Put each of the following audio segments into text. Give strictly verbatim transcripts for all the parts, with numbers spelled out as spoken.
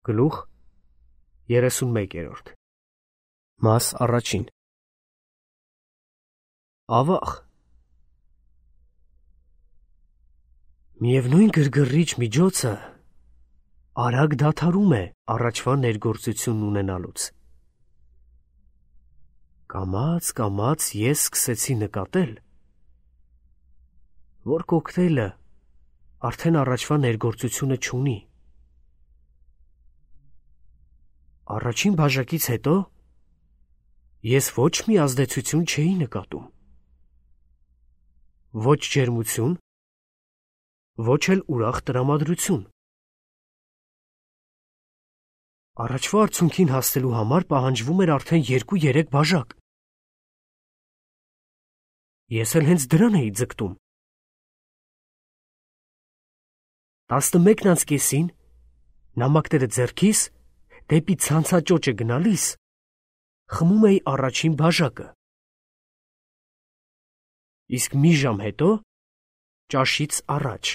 Գլուխ երեսունմեկերորդ Մաս առաջին Ավաղ Միևնույն գրգռիչ միջոցը արագ դադարում է առաջվա ներգործությունն ունենալուց։ Կամաց կամաց ես սկսեցի նկատել, որ կոկտեյլը արդեն առաջվա ներգործությունը չունի։ Առաջին բաժակից հետո ես ոչ մի ազդեցություն չէի նկատում։ Ոչ ջերմություն, ոչ էլ ուրախ տրամադրություն։ Առաջվա արդյունքին հասնելու համար պահանջվում էր արդեն երկու-երեք բաժակ։ Ես էլ հենց դրան էի ձգտում։ Տասնմեկն անց կեսին, նամակները ձեռքիս, դեպի ցանցաճոճը գնալիս, խմում էի առաջին բաժակը։ Իսկ մի ժամ հետո, ճաշից առաջ,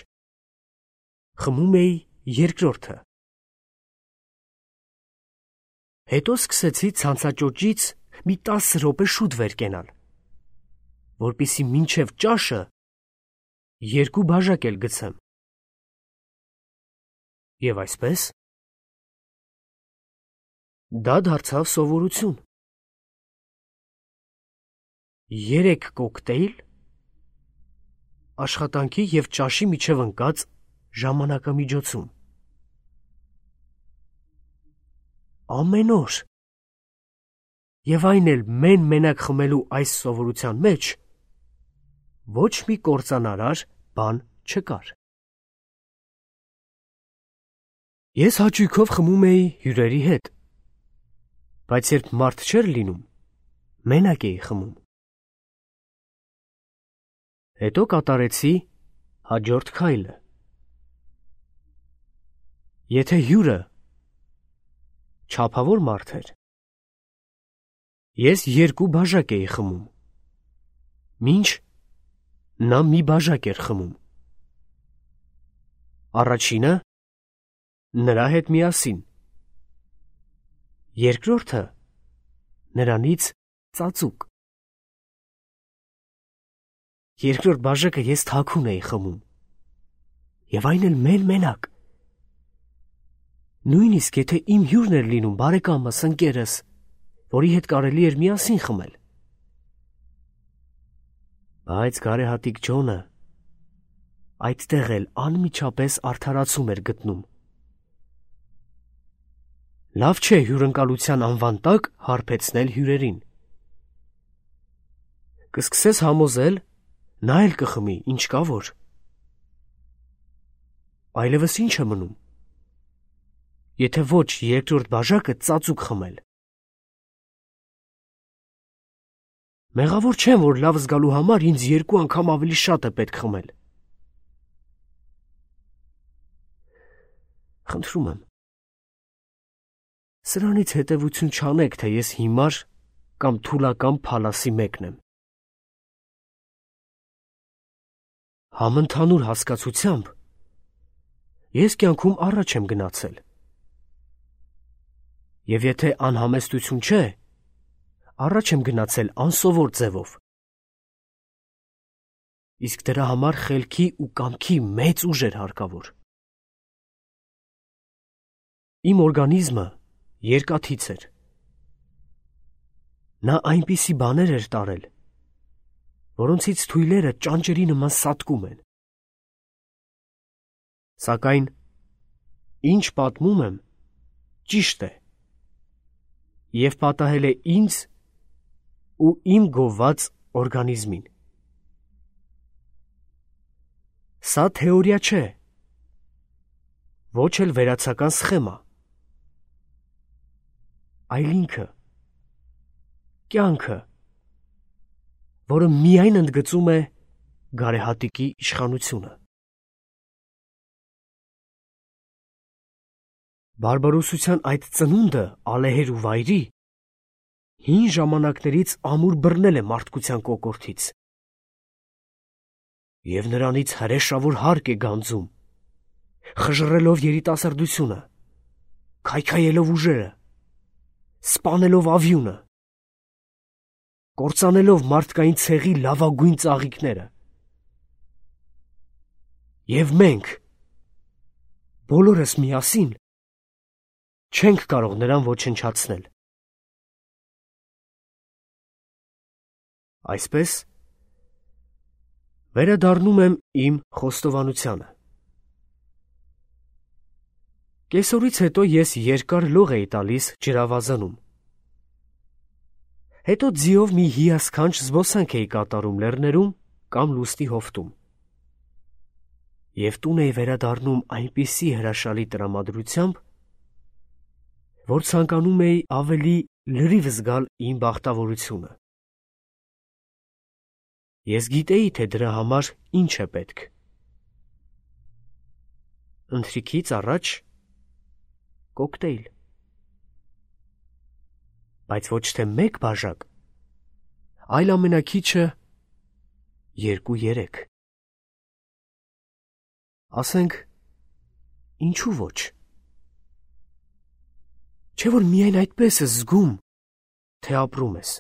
խմում էի երկրորդը։ Հետո սկսեցի ցանցաճոճից մի տասը րոպե շուտ վեր կենալ, որպեսզի մինչև ճաշը երկու բաժակ էլ գցեմ։ Եվ այսպես, դա դարձավ սովորություն։ Երեք կոկտեյլ աշխատանքի և ճաշի միջև ընկած ժամանակամիջոցում։ Ամեն օր։ Եվ այն էլ մեն-մենակ խմելու այս սովորության մեջ ոչ մի կործանարար բան չկար։ Ես հաճույքով խմում էի հյուրերի հետ, բայց երբ մարդ չէր լինում, մենակ էի խմում։ Հետո կատարեցի հաջորդ քայլը։ Եթե հյուրը չափավոր մարդ էր, ես երկու բաժակ էի խմում, մինչ նա մի բաժակ էր խմում։ Առաջինը նրա հետ միասին, երկրորդը նրանից ծածուկ։ Երկրորդ բաժակը ես թաքուն էի խմում, և այն էլ մեն-մենակ։ Նույնիսկ եթե իմ հյուրն էր լինում բարեկամս, ընկերս, որի հետ կարելի էր միասին խմել։ Բայց գարեհատիկ Ջոնը այդտեղ էլ անմիջապես արդարացում էր գտնում։ Լավ չէ հյուրընկալության անվան տակ հարբեցնել հյուրերին։ Կսկսես համոզել, նա էլ կխմի, ինչ կա որ։ Այլևս ինչ է մնում, եթե ոչ երկրորդ բաժակը ծածուկ խմել։ Մեղավոր չեմ, որ լավ զգալու համար ինձ երկու անգամ ավելի շատ է պետք խմել։ Խնդրում եմ, սրանից հետևություն չանեք, թե ես հիմար կամ թուլական փալասի մեկն եմ։ Համընդհանուր հասկացությամբ ես կյանքում առաջ եմ գնացել։ Եվ եթե անհամեստություն չէ, առաջ եմ գնացել անսովոր ձևով։ Իսկ դրա համար խելքի ու կամքի մեծ ուժ էր հարկավոր։ Իմ օրգանիզմը երկաթից էր։ Նա այնպիսի բաներ էր տարել, որոնցից թույլերը ճանճերի նման սատկում են։ Սակայն, ինչ պատմում եմ, ճիշտ է, և պատահել է ինձ ու իմ գովված օրգանիզմին։ Սա թեորիա չէ, ոչ էլ վերացական սխեմա, այլ ինքը, կյանքը, որը միայն ընդգծում է գարեհատիկի իշխանությունը։ Բարբարոսության այդ ծնունդը ալեհեր ու վայրի հին ժամանակներից ամուր բռնել է մարդկության կոկորդից։ Եվ նրանից հրեշավոր հարկ է գանձում, խժռելով երիտասարդությունը, քայքայելով ուժերը, սպանելով ավյունը, կործանելով մարդկային ցեղի լավագույն ծաղիկները։ Եվ մենք, բոլորս միասին, չենք կարող նրան ոչնչացնել։ Այսպես, վերադառնում եմ իմ խոստովանությանը։ Կեսօրից հետո ես երկար լող էի տալիս ջրավազանում։ Հետո ձիով մի հիասքանչ զբոսանք էի կատարում լեռներում կամ լուսնի հովտում։ Եվ տուն էի վերադառնում այնպիսի հրաշալի տրամադրությամբ, որ ցանկանում էի ավելի լրիվ զգալ իմ բախտավորությունը։ Ես գիտեի, թե դրա համար ինչ է պետք։ Ընթրիքից առաջ կոկտեյլ, բայց ոչ թե մեկ բաժակ, այլ ամենաքիչը երկու-երեք։ Ասենք, ինչու ոչ։ Չէ՞ որ միայն այդպես ես զգում, թե ապրում ես։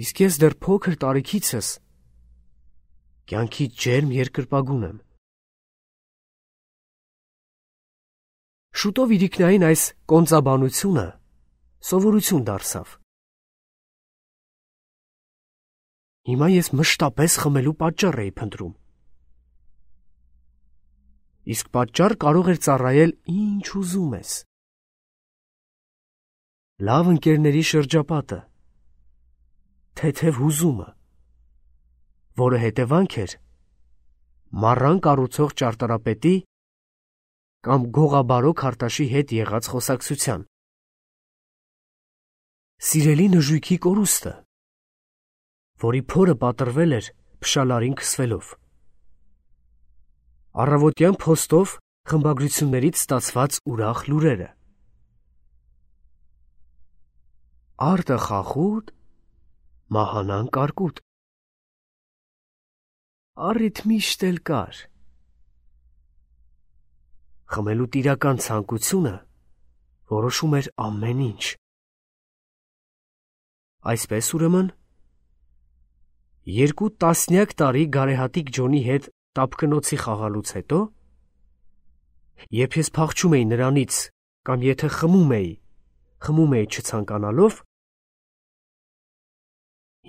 Իսկ ես դեռ փոքր տարիքիցս կյանքի ջերմ երկրպագուն եմ։ Շուտով իրիկնային այս կոնծաբանությունը սովորություն դարձավ։ Հիմա ես մշտապես խմելու պատճառ էի փնտրում։ Իսկ պատճառ կարող էր ծառայել ինչ ուզում ես։ Լավ ընկերների շրջապատը, թեթև հուզումը, որը հետևանք էր մառան կառուցող ճարտարապետի կամ գողաբարո քարտաշի հետ եղած խոսակցության, սիրելի նժույգի կորուստը, որի փորը պատրվել էր փշալարին քսվելով, առավոտյան փոստով խմբագրություններից ստացված ուրախ լուրերը, արտը խախուտ, մահանան կարկուտ, առիթ միշտ էլ կար, խմելու տիրական ցանկությունը որոշում էր ամեն ինչ։ Այսպես ուրեմն, երկու տասնյակ տարի գարեհատիկ Ջոնի հետ տապկնոցի խաղալուց հետո, երբ ես փախչում էի նրանից կամ եթե խմում էի, խմում էի չցանկանալով,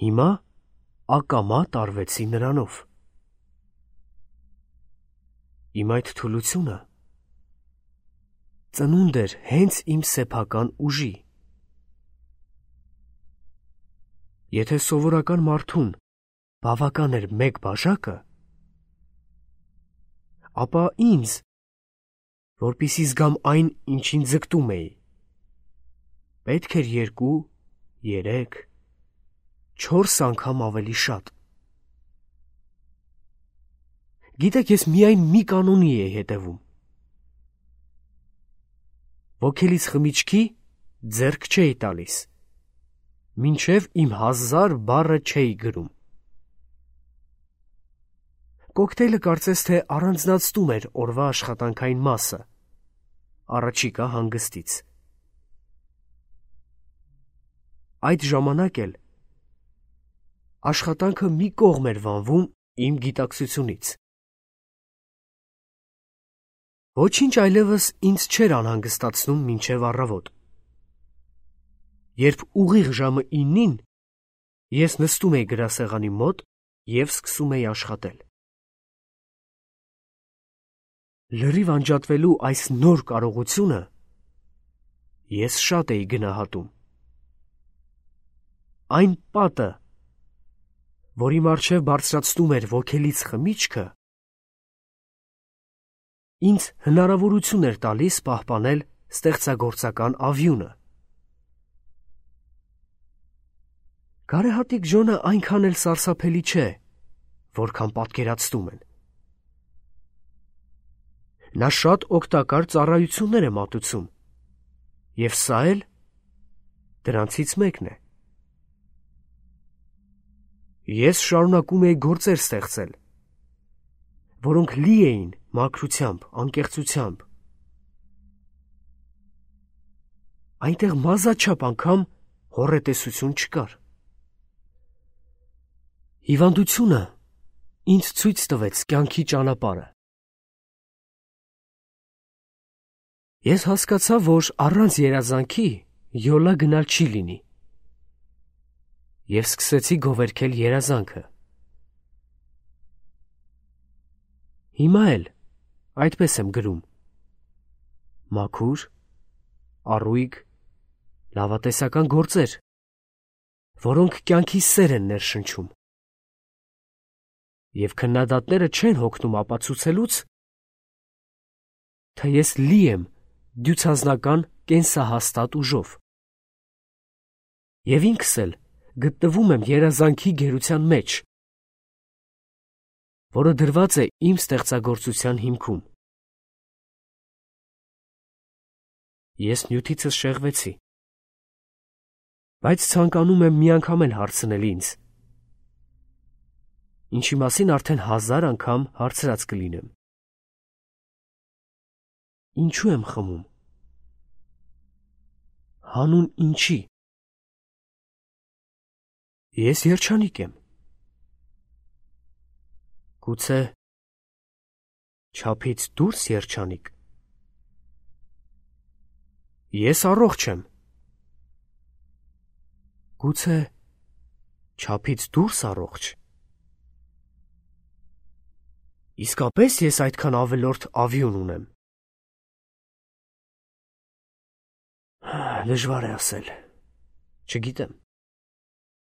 հիմա ակամա տարվեցի նրանով։ Իմ այդ թուլությունը ծնունդ էր հենց իմ սեփական ուժի։ Եթե սովորական մարդուն բավական էր մեկ բաժակը, ապա ինձ, որպեսզի զգամ այն, ինչին ձգտում էի, պետք էր երկու, երեք, չորս անգամ ավելի շատ։ Գիտեք, ես միայն մի կանոնի էի հետևում։ Ոգելից խմիչքի ձեռք չէի տալիս, մինչև իմ հազար բառը չէի գրում։ Կոկտեյլը կարծես թե առանձնացնում էր օրվա աշխատանքային մասը, առաջիկա հանգստից։ Այդ ժամանակ էլ աշխատանքը մի կողմ էր վանվում իմ գիտակցությունից։ Ոչինչ այլևս ինձ չէր անհանգստացնում մինչև առավոտ։ Երբ ուղիղ ժամը իննին ես նստում էի գրասեղանի մոտ և սկսում էի աշխատել։ Լրիվ անջատվելու այս նոր կարողությունը ես շատ էի գնահատում։ Այն պատը, որի առջև բարձրացնում էր ոգելից խմիչքը, ինձ հնարավորություն էր տալիս պահպանել ստեղծագործական ավյունը։ Գարեհատիկ Ջոնը այնքան էլ սարսափելի չէ, որքան պատկերացնում են։ Նա շատ օգտակար ծառայություններ է մատուցում, և սա էլ դրանցից մեկն է։ Ես շարունակում էի գործեր ստեղծել, որոնք լի էին մաքրությամբ, անկեղծությամբ, այնտեղ մազաչափ անգամ հոռետեսություն չկար։ Հիվանդությունը ինձ ցույց տվեց կյանքի ճանապարհը։ Ես հասկացա, որ առանց երազանքի յոլա գնալ չի լինի, և սկսեցի գովերգել երազանքը։ Հիմա էլ այդպես եմ գրում. մաքուր, առույգ, լավատեսական գործեր, որոնք կյանքի սեր են ներշնչում, և քննադատները չեն հոգնում ապացուցելուց, թե ես լի եմ դյուցազնական կենսահաստատ ուժով, և ինքս էլ գտնվում եմ երազանքի գերության մեջ, որը դրված է իմ ստեղծագործության հիմքում։ Ես նյութիցս շեղվեցի, բայց ցանկանում եմ մի անգամ էլ հարցնել ինձ, ինչի մասին արդեն հազար անգամ հարցրած կլինեմ. ինչու եմ խմում, հանուն ինչի։ Ես երջանիկ եմ, գուցե չափից դուրս երջանիկ։ Ես առողջ եմ, գուցե չափից դուրս առողջ։ Իսկապես ես այդքան ավելորդ ավյուն ունեմ։ Դժվար է ասել, չգիտեմ։